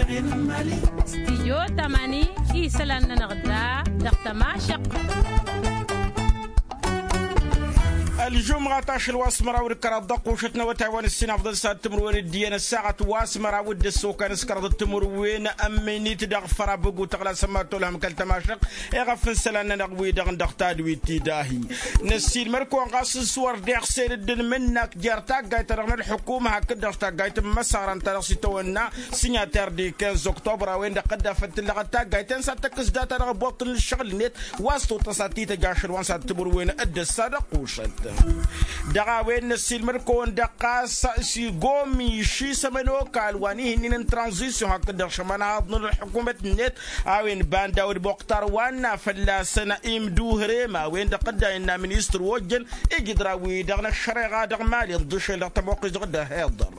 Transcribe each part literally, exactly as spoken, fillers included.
Stijyo tamani isălan-nănăɣ da dăɣ-tămašăɣt. Ălžumɣa tašăl wa s-măraw d-kăraḍ dăɣ-kušăt n-awătay wa n-ǝssin afḍăn s-ad-timǝrwen d-iyyăn ăssaɣăt wa s-măraw d-ăssokăn s-kăraḍ d-timǝrwen ămminit dăɣ-făra băgu tăɣla sămmat tolhăm kăl-tămašăɣt. Iɣăf n-isălan-nănăɣ wi-dăɣ n-dăɣ tadwit ti dahi. Năssiilmăr-kăwăn ɣas s-wăr deɣ sel dd-ănmǝnnak jer-taggayt-ta-dăɣ n-ălḥukuma hakd-dăɣ taggayt n-imăsăɣran-ta-dăɣ s-itawănna signataire di quinze octobre a-wen-dăɣ dd-afăl tǝllăɣăt taggayt-en s-ad-tăkkǝs data-dăɣ boṭ n-ǝššăɣǝl-net wa s-totăs ad-t-tăj ašăl wa n-s ad-timǝrwen d-ăssa dăɣ-kušăt. Dăɣ-a-wen năssiilmăr-kăwăn-dăɣ ɣas s-igomi išisăm ănokal wa n-ihǝnnin n-tranzisyon hakd-dăɣ šămănhaḍ n-ălḥukumăt-net a-wen banda wăr-imoqtar wa n-a fălla-săn imduhărem a-wen-dăɣ dd-a innă ministăr ojjăn ijǝdra-wi-dăɣ n-ăššăreɣa dăɣ-mali ǝnḍǝšel dăɣ-tămoqqes dăɣ-dd-ăhiḍăr.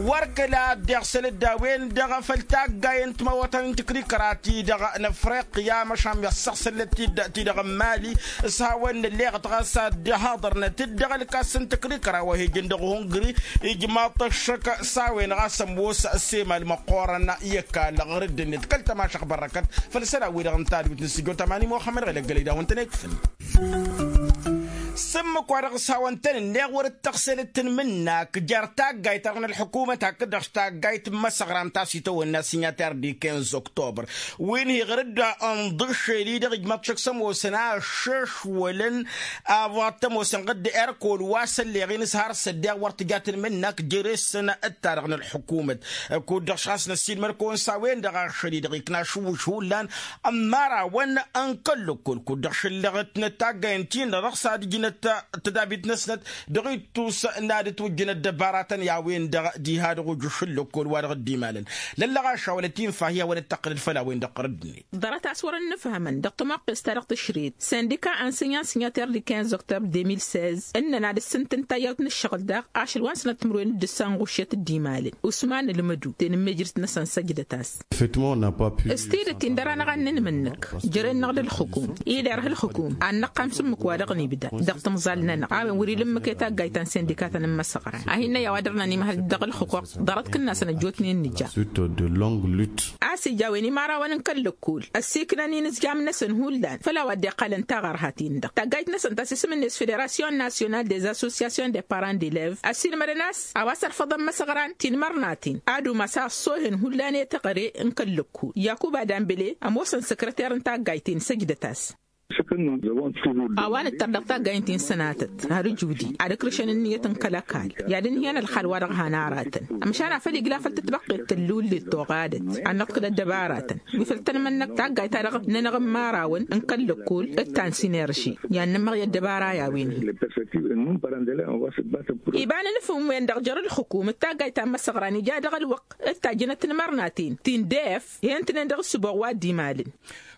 Wăr kăla ăddeɣ săl-dd a-wen-dăɣ făll-taggayen timawătăn n-tǝkrikăra-ti-dăɣ n-afriqya măšan mi ăssăɣsălnăt-dd ti-dăɣ n-mali. S-hawăn-nălleɣăt ɣas ad-dd-haḍărnăt-dd dăɣ-ălkas n-tǝkrikăra wa hi-ijăn dăɣ-hungri. Ijmaḍ-t ăššăk s-a-wen ɣas ămoos ăssemal măqqoorăn i-ăkall ɣur-dd-net kăl-tămašăɣ bărrăkăt. Făll-isălan-wi-dăɣ n-tadwit n-sǝjjo tamani muxămmăd ɣelăggălăy d-a-wen-tăn-ekfǝn. S-ǝmmǝk-wa-dăɣ s-hawăn-tăn-ǝnneɣ wăr-dd tăɣsel d-tǝnmǝnnak jer-taggayt-ta-dăɣ n-ălḥukumăt hakd-dăɣ taggayt n-imăsăɣran ta s-itawănna signataire di quinze octobre. Wi n-hi-ɣăr-dd ănḍǝššel-i-dăɣ ijmăḍ šăkk s-ămoosăn aššăšwălăn. Avoɣ t-ămoosăn ɣǝdd erkol wa s-ălleɣ-in s-har s-ăddeɣ wăr tǝja tǝnmǝnnak jere-săn d-ta-dăɣ n-ălḥukumăt. Kud-dăɣ šas năssiilmăr-kăwăn s-a-wen-dăɣ ašăl-i-dăɣ ikna ašǝwwǝš hullan n-imărawăn n-kăl-lăkkol kud-dăɣ šǝllăɣătnăt taggayăn-ti-dăɣ s-ad-ǝjnăt tădabit-năsnăt. Dăɣ-ittus n-ad-ǝtwǝjjǝn ăddăbaratăn i-a-wen-dăɣ diha dăɣ-ujǝš n-lăkkol wa dăɣ-dd-imalăn. Lăllăɣaša wăla t-infa hi-a wăla t-tăqqǝlăd făll-a-wen-dăɣ ɣărăd-net. Ḍarăt a-s wăr-ănnǝfhămăn dăɣ-tămoqqes-ta-dăɣ tǝšret săndika ănsinya n-signataire di quinze octobre deux mille seize ǝnnăn ad-ǝssǝntǝn tayyăḍt n-ǝššăɣǝl daɣ ašăl wa n-sănăt timǝrwen d-ǝssa n-ɣuššet dd-imalăn usman ǝlmǝdu tenǝmmejrǝt-năsăn săjdăt-as. S-tidǝt-in dăr-anăɣ ad-nǝnmǝnnǝk jăren-năɣ d-ălxǝkum ider ălxǝkum ad-năqqam s-ǝmmǝk wa dăɣ-nibda dăɣ-timẓal-nănăɣ a-wen wăr-ila ǝmmǝk i-taggayt ta n-sendika ta n-imăsăɣran a hin-năyya wa dăr-nănimhăl dăɣ-ălxǝquq ḍarăt kǝnnasăn ăjjootnen nǝja. A-s ija a-wen imărawăn n-kăl-lăkkol ăssiiknăn inǝzjam-năsăn hullan făll-a-wa dd-iqqalăn taɣărha-tin-dăɣ taggayt-năsăn ta s-isǝm-net federasyon nasyonal des associasyon de parent d-elev ăssiilmădăn a-s a-wa s-ărfăḍăn imăsăɣran tinmărnaten ad-umas a ăṣṣoohen hullan i-teɣăre n-kăl-lăkkol yakuba dambele ămoosăn săkrăter n-taggayt-in săjdăt-as. A-wa nǝttăr dăɣ-taggayt-in sănatăt har ǝjudi ad-ǝkrǝšăn ǝnniyăt n-kăl-ăkall i-ad-ǝnhǝyăn ălxal-wa-dăɣ han aratăn ămšan a făl igla făll-tǝtbăqqet tăllullet toɣadăt ad-nǝḍkǝl ăddăbaratăn wi făl tăn-mănnăk taggayt-ta-dăɣ n-enăɣ n-imărawăn n-kăl-lăkkol d-ta n-sinerži i-ad-nǝmmăɣ i-ăddăbara i-a-wen-hi. Iba n-inǝfǝm-wen-dăɣ jer-ǝlxǝkum d-taggayt ta n-imăsăɣran ija dăɣ-ălwăqq d-tajjǝnăt n-imărnaten ti n-def hen-tǝnen dăɣ-ǝssǝboɣ wa dd-imalăn.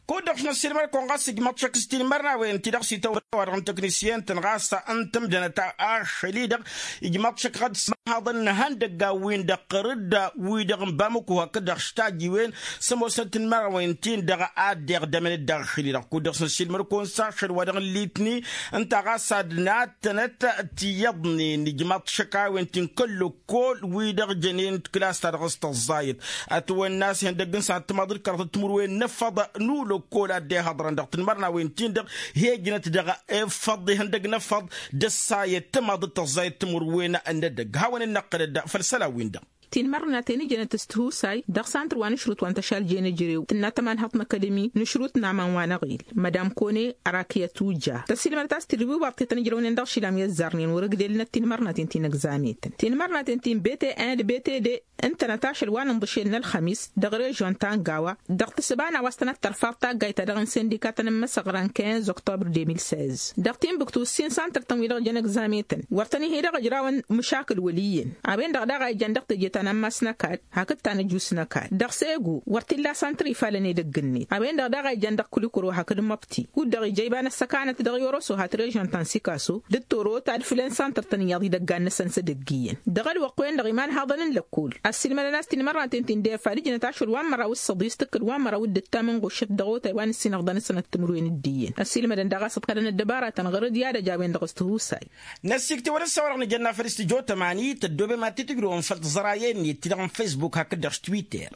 Kud-dăɣ š-năssiilmăr-kăwăn ɣas ijmăḍ šăkk s-tinmărnawen-ti-dăɣ s-itawănna wa-dăɣ n-teknisyen-tăn ɣas ǝntǝmdănăt ašăl-i-dăɣ ijmăḍ šăkk ɣad s-mahăḍăn n-ihăndăggan-win-dăɣ ɣăr-dd wi-dăɣ n-bamăku hakd-dăɣ s-tajiwen s-ămoosnăt tinmărnawen-tin-dăɣ ad-dd-iɣdămăn d-ašăl-i-dăɣ kud-dăɣ s-năssiilmăr-kăwăn s-ašăl wa dăɣ-n litni ǝnta ɣas ad-nattănăt tiyyăḍnen ijmăḍ šăkk a-wen ti n-kăl-lăkkol wi-dăɣ jănen d-klas-ta-dăɣ s-tăẓẓayăt. Ătwănna a-s ihăndăgg n-săhat timaḍ d-kăraḍăt timǝrwen n-efăḍ n-ulăkkol a dd-ehăḍrăn dăɣ-tinmărnawen-tin-dăɣ hi-ǝjnăt dăɣ-efăḍ ihăndăgg n-efăḍ d-ăssayăt timaḍ d-tăẓẓayăt timǝrwen n-edăgg hawăn-dd-năqqǝlăd făll-isălan-win-dăɣ. Tinmărnaten ǝjnăt s-tihusay dăɣ-santăr wa n-ašrut wa n-tăšaljen ejărew tǝnna tămanhăḍt n-akadămi n-ašrut n-aman wa n-aɣil madam kone arakiyăt uja tăsilmădăt a-s tidǝw iwaḍ tetăn ijrăwnen dăɣ-išilam i-ăzzarnen wăr-ăgdel-năt tinmărnaten ti n-ăgzametăn tinmărnaten ti n-bete en d-bete de ǝntănăt ašăl wa n-inḍǝšel n-ălxămis dăɣ-režyon ta n-gawa dăɣ-tǝssǝba n-a-wa s-tănăt-tărfaḍ taggayt-ta-dăɣ n-sindika ta n-imăsăɣran quinze octobre deux mille seize dăɣ-tinbǝktu ǝssin santăr-tăn wi-dăɣ jăn ăgzametăn wăr tăn-ihi-dăɣ ǝjrawăn măšakǝl wăl' iyyăn a-wen-dăɣ daɣ a ijăn dăɣ-teje ta n-ammas n-ăkall hakd ta n-ăjus n-ăkall dăɣ-segu wăr t-illa santăr ifalăn edăgg-net a-wen-dăɣ daɣ a ijăn dăɣ-kulikuro hakd măbti kud-dăɣ ija iba n-ăssăkanăt dăɣ-i oroso hat-režyon ta n-sikaso d-toro ta d-fǝlăn santăr-tăn iyyăḍ idăggan-năsăn s-edăgg iyyăn dăɣ-ălwăqq-wen-dăɣ iman haḍăn n-lăkkol ăssiilmădăn a-s tinmărnaten ti n-defa d-ǝjnăt ašăl wa n-măraw s-săḍis tǝkkǝl wa n-măraw d-ǝttam n-ɣuššăt dăɣ-otay wa n-ǝssin ăfḍăn s-sănăt timǝrwen d-iyyăn ăssiilmădăn daɣ a-s ǝḍkălăn ăddăbaratăn ɣur-dd i-ad-ăj a-wen-dăɣ s-tihusay. Năssiktewăl ǝssa wa dăɣ-nǝjănna făll-s tǝjo tămani tăddoobem ad-t-tǝjrǝwăm făll-tǝẓrayăy. ǝnniyăt-ti-dăɣ n-fesbuk hakd-dăɣ s-twitter.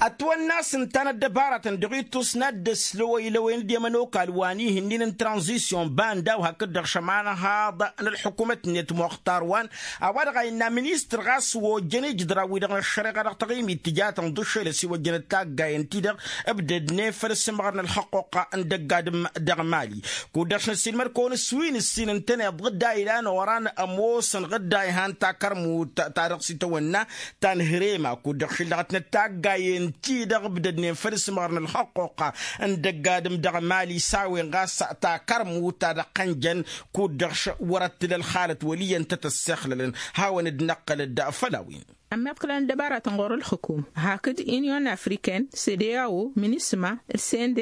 Ătwănna a-s ǝnta n-ăddăbaratăn dăɣ-ittus n-ad-dd-ăslăwăy lăwen d-emănokal wa n-ihǝnnin n-tranzisyon banda-w hakd-dăɣ šămanăhaḍ n-ălḥukumăt-net muxtar wa n-a-wa-dăɣ a innă ministăr ɣas ojjăn ijǝdra-wi-dăɣ n-ăššăreɣa dăɣ-taɣimit tǝjatăn ḍušel ăsiwăjjăn d-taggayen-ti-dăɣ ǝbdădnen făll-ǝssǝmɣăr n-ălxăqquqa n-dăgg-adǝm dăɣ-mali. Kud-dăɣ s-năssiilmăr-kăwăn s-wi n-ǝssin ǝntăneḍ ɣǝdday ilan oran ămoosăn ɣǝdday han takărmut ta dăɣ-s itawănna ta n-hărema kud-dăɣ šǝllăɣătnăt taggayen-ti-dăɣ ǝbdădnen făll-ǝssǝmɣăr n-ălxăqquqa n-dăgg-adǝm dăɣ-mali s-a-wen ɣas takărmut ta dăɣ-tăn-jăn kud-dăɣ wăr-ăttǝl ălxalăt wăl' iyyăn tăt-ăssexlălăn. Hawăn-dd-năqqăl-dd făll-a-wen. Ămmiḍkălăn ăddăbaratăn ɣur-ălxǝkum hakd inyon afriken cdao minisma d-sendh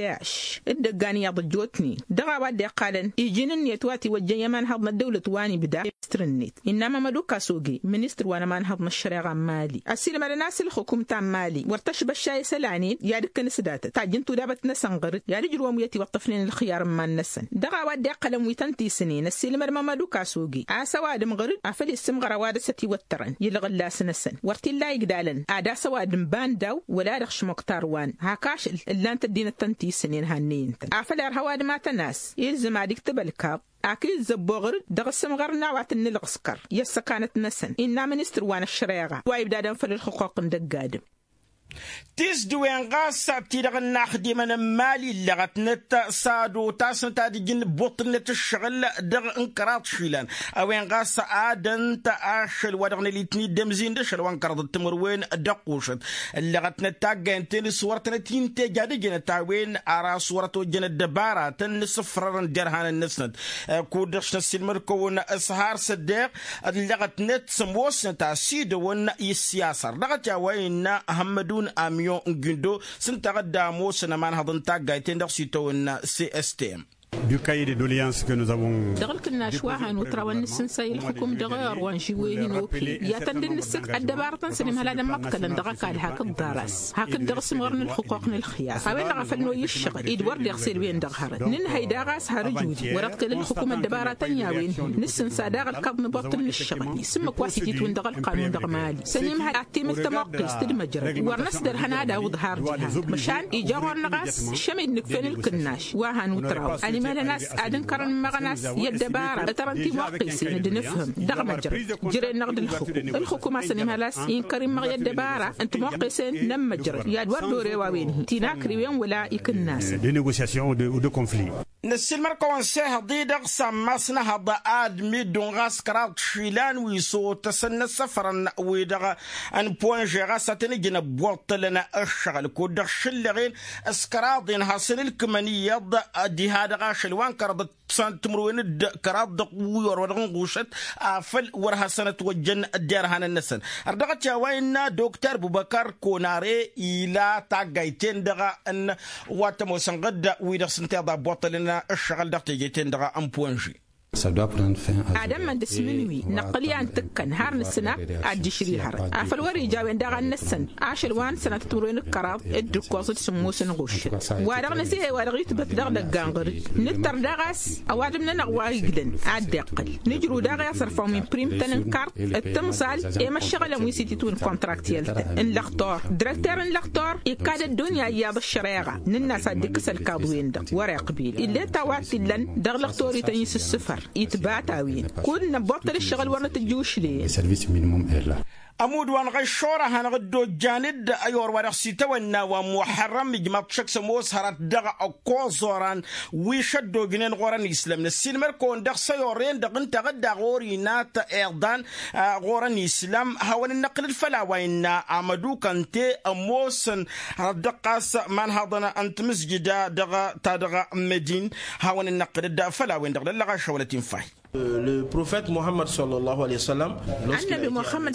d-ăggan iyyăḍ ăjjootnen dăɣ-a-wa dd-iqqalăn iji n-ǝnniyăt wa tiwăjjăn i-ămanhăḍ n-ăddăwlăt wa n-ibda. Ministăr-net innă mămădu kasoge ministăr wa n-ămanhăḍ n-ăššăreɣa n-mali ăssiilmădăn a-s ǝlxǝkum ta n-mali wăr tăšbăšša isălan-in i-ad-ǝkkǝn s-datăt tajjǝn tudabăt-năsăn ɣăr-dd i-ad-ǝjrǝwăn wi ătiwăṭṭăfnen ǝlxǝyar n-iman-năsăn. Dăɣ-a-wa dd-iqqălăn wi tăn-tisǝnen ăssiilmăd mămădu kasoge a-s ăwadǝm ɣăr-dd afăl issǝmɣăr ăwadǝm s-ătiwăttărăn i-ǝlɣǝllas-năsăn wăr t-illa igdalăn ad-as ăwadǝm banda-w wăla dăɣ-šmăk tarwan hak ašăl ǝllan-t ăddinăt tăn-tisǝnen hannăyăn-tăn afăl irha ăwadǝm a tăn-as ilzǝm ad-iktǝb ălkaḍ ak izzăbboɣ ɣăr-dd dăɣ-asǝmɣăr n-a-wa t-ǝnnǝlɣǝskăr i-ăssăkanăt-năsăn innă ministăr wa n-ăššăreɣa wa ibdadăn făll-ălxuquq n-dăgg-adǝm. Tisdǝwen ɣas ti-dăɣ n-inaxdimăn n-imali ǝllăɣătnăt s-ad-otasnăt ad-ǝjǝn ǝbbuṭṭǝlnăt ǝššăɣǝl dăɣ-n kăraḍ išilan a-wen ɣas adăn-t ašăl wa dăɣ-nălitni d-emzin d-ašăl wa n-kăraḍ d-timǝrwen d-ăqqušăt ǝllăɣătnăt taggayen-ten s-wăr-tănăt-in-teja d-ǝjǝnăt a-wen ar a-s wăr-ătojjăn ăddăbaratăn n-asǝfrărăn derhanăn-năsnăt. Kud-dăɣ s-năssiilmăd-kăwăn s-har s-ăddeɣ ǝllăɣătnăt s-ămoosnăt a-s idăwăn i-ǝssiyasa ărdăɣăt i-a-wa innă hămmădun amyon n-gindo s-ǝnta a dd-ămoosăn ămanhăḍ n-taggayt-en-dăɣ s-itawănna cstm. Dăɣ-ǝlkǝnnaš wa han utraw ănnǝssǝnsay ǝlxǝkum dăɣ-i orwanži wen hin-okǝy i-ad-tăn-dd-nǝssǝk ăddăbarătăn s-ănimhăl ad-ămmăḍkălăn dăɣ-ăkall hakd ḍar-as hakd dăɣ-asǝmɣăr n-ǝlxǝquq n-ǝlxǝyar a-wen-dăɣ a făl noyy ǝššăɣǝl-i d-wăr deɣ s-elwen dăɣ-hărăt nǝnhăy daɣ a-s har ǝjud wăr-ăḍkăl ǝlxǝkum ăddăbarătăn i-a-wen-hin nǝssǝnsa daɣ ălkaḍ n-ibuṭṭǝl n-ǝššăɣǝl isǝmmǝk wa s-ititwǝn dăɣ-ălqanun dăɣ-mali s-ănimhăl ad-timǝl tămoqqest d-măjrăd wăr năsdăr hănadawǝḍ har diha măšan ija ɣur-năɣ a-s šămid nǝkf'-en ǝlkǝnnaš wa han utraw ănimhălăn a-s ad-ǝnkărăn ǝmmăɣăn a-s i-ăddăbara ǝtărăn timoqqesen d-nǝfhǝm dăɣ-măjrăd jere-năɣ d-ǝlxǝkum ǝlxǝkum a-s ănimhăl a-s inkăr immăɣ i-ăddăbara n-timoqqesen n-ămmăjrăd i-ad-wăr d-ore wa-wen-hi tinakriwen wăla ikǝnnasăn. Năssiilmăr-kăwăn s-ehăḍ-i-dăɣ s-ammas n-ehăḍ ad-middun ɣas kăraḍ išilan wi s-otăsăn n-asăfrăn-wi-dăɣ n-ponže ɣas ad-tăn-ǝjǝn ăbbuṭṭǝlăn ǝššăɣǝl kud-dăɣ šǝllăɣen s-kăraḍ-en hasăn-ǝlkǝmăn iyyăḍ diha dăɣ-ašăl wa n-kăraḍ d-timǝrwen d-kăraḍ dăɣ-wi orwădăɣ n-ɣušăt afăl wăr hasăn-ătwăjjăn derhanăn-năsăn. Ărdăɣăt i-a-wa innă dokter bubăkăr konare ila taggayt-en-dăɣ n-wa t-ămoosăn ɣǝdda wi-dăɣ s-ǝnta iḍa ăbbuṭṭălăn ǝššăɣǝl dăɣ-teje-ten-dăɣ n-ponže. Ad-ămmăn d-asmǝnwi năqqǝl i-ad-nǝtǝkkăn har nǝsǝn ak ad-dd-išri hărăt afăl wăr-ija a-wen daɣ ad-năssăn ašăl wa n-sănatăt timǝrwen d-kăraḍ d-ǝkkoẓ d-sǝmmos n-ɣuššăt wa-dăɣ nǝzǝhe wa dăɣ-itbăt dăɣ-idăggan ɣăr-dd nǝttăr daɣ a-s ăwadǝm-nănăɣ wa iglăn ad-dd-iqqăl nǝjrǝw daɣ i-aẓărfaw min prim-tăn n-kart d-timẓal i-măššăɣǝlăn wi s-ititwǝn kontraktiyăl-tăn n-lăxtor dăr-ăkter n-lăxtor ikkad ăddunya iyyăḍ ăššăreɣa nǝnn'-as ad-dd-ikkǝs ălkaḍ-wen-dăɣ wăr-iqbil ill'-e ta wa t-illăn dăɣ-lăxtor-ităn isǝssǝfăr itbat a-wen kud-năbbuṭṭăl ǝššăɣǝl wăr nǝtǝjj ušle. Ămudd wa n-ɣăyšor a hanăɣ-dd-ojjan-dd ăyor wa dăɣ-s itawănna wa n-muḥărrăm ijmaḍ šăkk s-ămoos hărăt dăɣ-ăkkoẓ oran wi šăddojnen ɣur-ănn islăm năssiilmăr-kăwăn dăɣ-s ăyor-en-dăɣ ǝnta a ɣǝdda ɣur-inat iḍan ɣur-ănn islăm hawăn-dd-năqqǝl-dd făll-a-wa innă amădukăn te ămoosăn hărăt dăɣ-ɣas imanhaḍăn n-timǝzjǝda dăɣ-ta-dăɣ n-medin hawăn-dd-năqqǝl-dd făll-a-wen-dăɣ lăllăɣaš hawălăt infa. Ănnăbi muxămmăd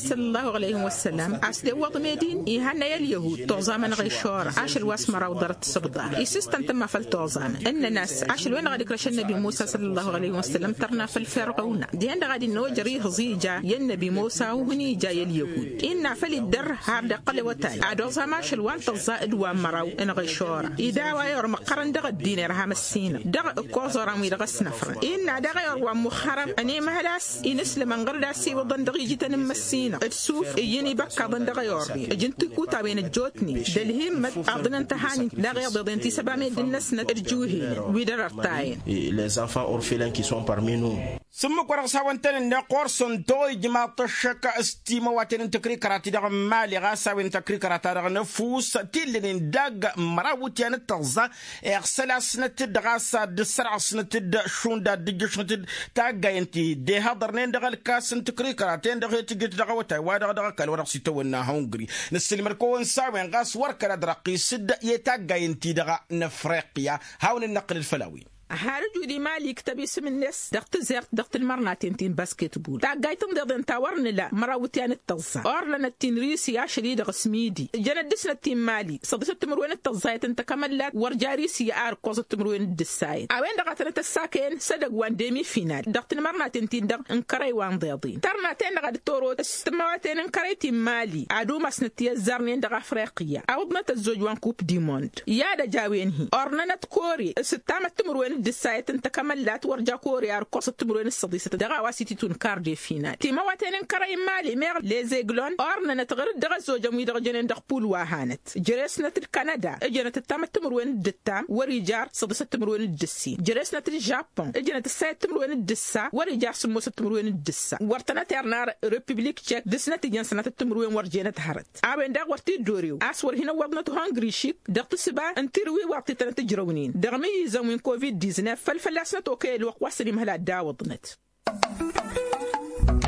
săllallahu alăyhi wăssălam a-s tewwăḍ medin ihănnăy ălyăhud toẓamăn ɣăyšora ašăl wa s-măraw ḍarăt s-ǝbḍa isǝstăn tǝmma făll-toẓamăn ǝnnăn-as ašăl-wen-dăɣ a dd-ikrăš ănnăbi musa săllallahu alăyhi wăssălam tărna făll-ferɣăwna dihen-dăɣ ad-innă ojăr ihǝẓ ija i-ănnăbi musa uhǝn ija i-ălyăhud innă făl iddăr har dd-iqqăl i-awătay ad-oẓam ašăl wa n-tăẓẓa d-wa n-măraw n-ɣăyšora ida a-wa i-ormăqqărăn dăɣ-ăddin irham ăssinăɣ dăɣ-ǝkkoẓ oran wi-dăɣ ăsnăfrăn innă daɣ i-orwan muxămmăd. Ănemăhăl a-s inǝslǝmăn ɣur-dd a-s iwǝḍăn dăɣ-ijităn n-imǝssinăɣ d-suf iyyăn ibăkkaḍăn dăɣ-ayornen ǝjǝn tikutawen ăjjootnen d-ălhimmăt. Aḍǝnăn tăhanint daɣ-iḍeḍen ti s-ăba meddǝn-năsnăt d-juhenăn wi dăr-ărtayăn. Les enfants orphelins qui sont parmi nous. S-ǝmmǝk wa dăɣ-s hawăn-tăn-ǝnneɣ ɣur-săn toyǝjmaḍ-t ăššăk s-timăwaten n-tăkrikăra-ti-dăɣ n-imali ɣas a-wen tăkrikăra-ta-dăɣ n-ăfuss ti ǝllănen dagg măraw iwǝtyan d-tăẓẓa. Iɣsăl-asnăt-dd ɣas ad-dd-ǝssărɣăsnăt-dd šund ad-dd-ǝjjǝšnăt-dd taggayen ti dd-ihaḍărnen dăɣ-ălkas n-tǝkrikăra-ten-dăɣ he-tǝjǝt dăɣ-awătay-wa-dăɣ dăɣ-ăkall wa dăɣ-s itawănna hungri. Nǝssǝlmăd-kăwăn s-a-wen ɣas wăr kăla dăr-ăqqis-dd i-taggayen ti dăɣ-năfriqya. Hawăn-dd-năqqǝlăd făll-a-wen. Har ǝjud imali iktăb isǝm-net dăɣ-tǝzert dăɣ-tǝlmărnaten ti n-basketbul taggayt n-iḍeḍen ta wăr nǝla măraw iwǝtyan d-tăẓẓa ornănăt ti n-risi ašăl-i-dăɣ s-midi. Jăn ăddisnăt ti n-imali săḍisăt timǝrwen d-tăẓẓayăt n-takămăllat wăr ja risi ar ǝkkoẓăt timǝrwen d-ǝssayăt a-wen-dăɣ a tănăt-ăssakăyăn s-edăgg wa n-demi-final dăɣ-tǝlmărnaten-tin-dăɣ n-kărăy wa n-iḍeḍen tărnaten-dăɣ a dd-torote s-tǝmmăwaten n-kărăy ti n-imali ad-umasnăt ti ăzzarnen dăɣ-afriqya. Awǝḍnăt ăzzoj wa n-kup dimond i-ad-ăj a-wen-hi ornănăt kore s-ǝttamăt timǝrwen d-ǝssayăt n-takămăllat wăr ja kore ar ǝkkoẓăt timǝrwen d-săḍisăt dăɣ-a-wa s-ititun karde final timăwaten n-kărăy n-imali meɣ lezeglon ornănăt ɣǝr-dd dăɣ-ăzzojăn wi-dăɣ jănen dăɣ-pul wa hanăt. Jere-snăt d-kanada ǝjănăt ǝttamăt timǝrwen d-ǝttam wăr-ija săḍisăt timǝrwen d-ǝssin jere-snăt d-žappoŋ ǝjănăt ǝssayăt timǝrwen d-ǝssa wăr-ija sǝmmosăt timǝrwen d-ǝssa wăr tănăt-irna. Republik cek dăr-snăt ijăn sănatăt timǝrwen wăr jenăt hărăt a-wen daɣ wăr t-dd-orew a-s wăr hin-ăwwăḍnăt hungri šik dăɣ-tǝsba n-tirǝwi wa t-tănăt-ǝjrăwnen dăɣ-imǝyyǝzăn wi n-covid-diznef făll-fălla-snăt okăyăl wăqq wa s-ănimhăl ad-dd-awǝḍnăt.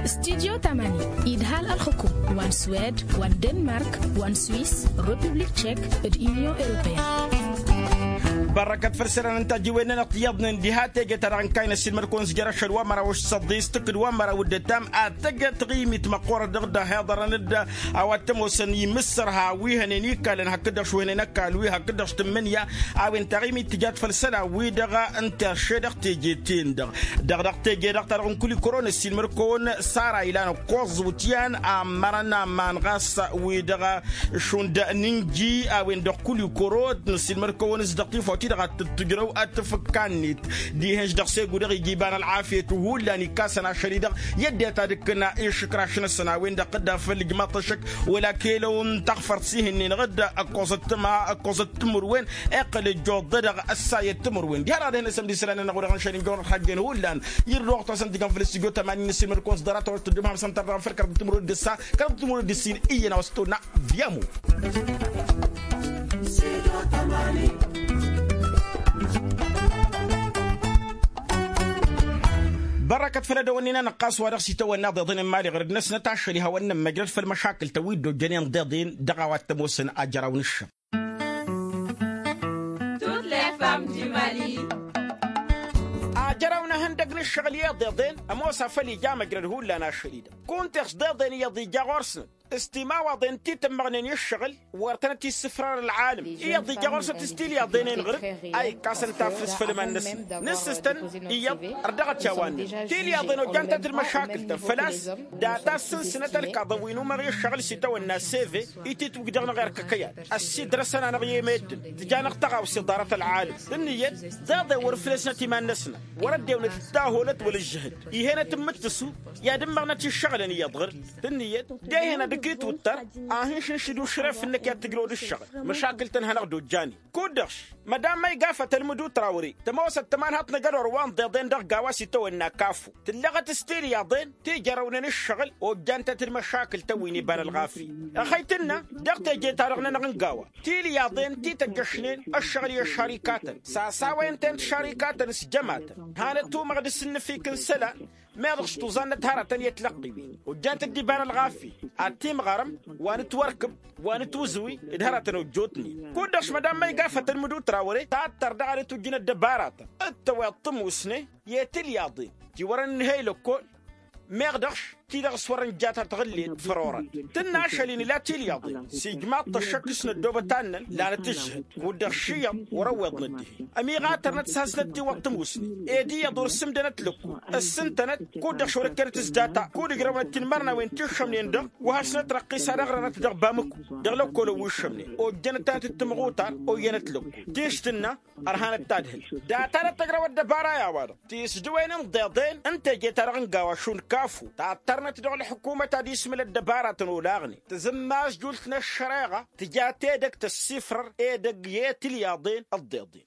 Studyo tamani idhal ălxukum wa n-swed wa n-denmark wa n-swiss republik cek d-unyon europeen. Bărrăkăt făll-isălan n-tajǝwen-nănăɣ tiyyăḍnen diha teje-ta-dăɣ n-kayna ăssiilmăd-kăwăn s-jer-ašăl wa măraw s-săḍis tǝkǝd wa măraw d-ătam ad-tăjăt ɣimit măqqoorăt dăɣ-dd-ăhiḍărăn-dd a-wa t-ămoosăn imǝssărha wi hănen ikalăn hakd-dăɣ šuhnen ăkall wi hakd-dăɣ s-tǝmmǝnǝya. A-wen taɣimit tǝjat făll-isălan-wi-dăɣ n-terše dăɣ-teje-ten-dăɣ dăɣ-dăɣ teje-dăɣ ta dăɣ-n kulikoro n-ăssiilmăd-kăwăn sara ilan ǝkkoẓ iwǝtyan ammărăn aman ɣas wi-dăɣ šund n-inji a-wen-dăɣ kulikoro. Nǝssilmăd-kăwăn s-dăɣ tifawt-i-dăɣ ad-tǝttǝjrăw ad-tǝfǝkka-net dihen-š dăɣ-segu dăɣ-ija iba n-ălɣafyăt hullan ikkasăn ašăl-i-dăɣ i-ăddinăt ad-ǝkkǝn išǝkraš-năsăn a-wen-dăɣ dd-afăl ǝjmaḍ-t ăššăk wăla kăy-lăw n-taɣfărt s-ihǝnnin ɣǝd ǝkkoẓăt tǝma ǝkkoẓăt timǝrwen. Iqqǝl ǝjjoḍ-dăɣ ăssayăt timǝrwen diha-dăɣ ad-ehăn asămd isălan-nănăɣ wa dăɣ-nǝšăl injăwăn ălxajjen hullan. Irruɣ-t wa s-ăntijăn făll-studyo tămani n-ăssiilmăd-kăwăn s-ḍarăt a-wa t-tǝddǝm hamsăn tărdăɣ făll-kăraḍăt timǝrwen d-ǝssa kăraḍăt timǝrwen d-ǝssin iyyăn a-wa s-tonna. Viyamo. Bărrăkăt făll-edăwănnin-anăɣ ɣas wa dăɣ-s itawănna iḍeḍen n-imali ɣur-dd-năsnăt ašăl ihawăn-nămmăjrăd făll-măšakǝl-tăn wi dd-ojjănen d-iḍen dăɣ-a-wa t-ămoosăn ajăraw n-ǝššăɣ. Ajăraw n-ehăndăg n-ǝššăɣǝl i-iḍeḍen ămoos afăl ija măjrăd hullan ašăl-i-dăɣ kunta iɣš d-iḍen iyyăḍ ija ɣur-snăt s-timawaḍen ti tǝmmăɣnen i-ǝššăɣǝl wăr tănăt-issǝfrăr ălɣalăm. Iyyăḍ ija ɣur-snăt s-tilyaḍen-en ɣur-dd a ikkasăn tafrǝst făll-iman-năsnăt nǝssǝstăn iyyăḍ ărdăɣăt i-a-wa-net tilyaḍen ojjan-tăn-t d-măšakǝl-tăn făl-a-s data ăssǝnsǝnăt ălkaḍăn wi n-umăɣ i-ǝššăɣǝl s-itawănna seve. Ititwǝj dăɣ-năɣ erk ăkăyan ăssiidrăsăn-anăɣ i-meddǝn tǝjanăɣ tăɣawse ḍarăt ălɣalăm tǝnnǝyăt d-iḍen wăr-ǝflesnăt iman-năsnăt wăr-ăddewnet d-tahulăt wăla ǝžžǝhǝd. Ihănăt n-imǝttǝsu i-ad-ǝmmăɣnăt iššăɣǝlăn iyyăḍ ɣur-dd tǝnnǝyăt d-ehăn ad-ǝkk itwǝṭṭăr a hin-šǝnšǝd ušref-năk i-ad-tǝjrăwăd ǝššăɣǝl. Măšakǝl-tăn hanăɣ-dd-ojjanen kud-dăɣ-š mădam măyga fătăl mǝdut rawăre tămoosăt tămanhaḍt n-ajădor wa n-iḍeḍen dăɣ-gawa s-itawănna kafu tǝllăɣăt s-tilyaḍen ti jărăwnen ǝššăɣǝl ojjan-tăn-t d-măšakǝl-tăn wi n-iba n-ălɣafyăt. Ăxăy tǝnnă dăɣ-teje-ta-dăɣ-nănăɣ n-gawa tilyaḍen ti tăjjăšnen ăššăɣǝl i-ăššarikatăn s-asawăyăn-ten-t šarikatăn s-jămatăn hanăt-tumăɣ d-asǝnnǝfik n-isălan. Meḍ ɣš tuẓannăt hărătăn i-ătlăqqiwen ojjant-dd iba n-ălɣafyăt ad-timɣărăm wa n-ǝtwărkǝb wa n-ǝtwǝzǝwi d-hărătăn ojjotnen. Kud-dăɣ š-mădan ma iga fătăn mǝdut rawăre tattăr daɣ ad-ǝtwǝjjǝn ăddăbaratăn d-tăweḍ tămusne i-tilyaḍen ti wărăn ǝnhăy lăkkol. Meɣ dăɣ-š ăkk-ti-dăɣ s-wăr-ǝnja ta tăɣǝllet făr orăn tǝnna ašăl-in ila tilyaḍen s-ijmaḍ-t ăššăk s-năddoobăt annăn. Lanăt-ǝžžǝhǝd kud-dăɣ šiyăḍ wăr-ăwweḍ n-ăddinhi ămiɣatărnăt s-hasnăt tiwăḍ tămusne ed iyyăḍ wăr-sǝmdănăt lăkku ăssǝntănăt kud-dăɣ šorăkkenăt s-data kud-ǝjrăwnăt tinmărnawen ti ǝššămnen-dăɣ. Wa hasnăt răqqisa ad-ăɣrănăt dăɣ-bamǝku dăɣ-lăkkolăn wi ǝššămnen ojjănăt-tanăt d-timɣutar oyyănăt lăkku. Tinš tǝnna ărhanăt tadhǝlt data-dăɣ tăjrăw ăddăbara i-a-wa-dăɣ tisdǝwen n-iḍeḍen n-teje-ta-dăɣ n-gawa šund kafu tattărnăt dăɣ-ălḥǝkumăt ad-ismǝl ăddăbaratăn olaɣnen tǝzǝmmas jult n-ăššăreɣa tǝja tedăgt ăssifrăr edăgg i-tilyaḍen ăḍḍeḍen.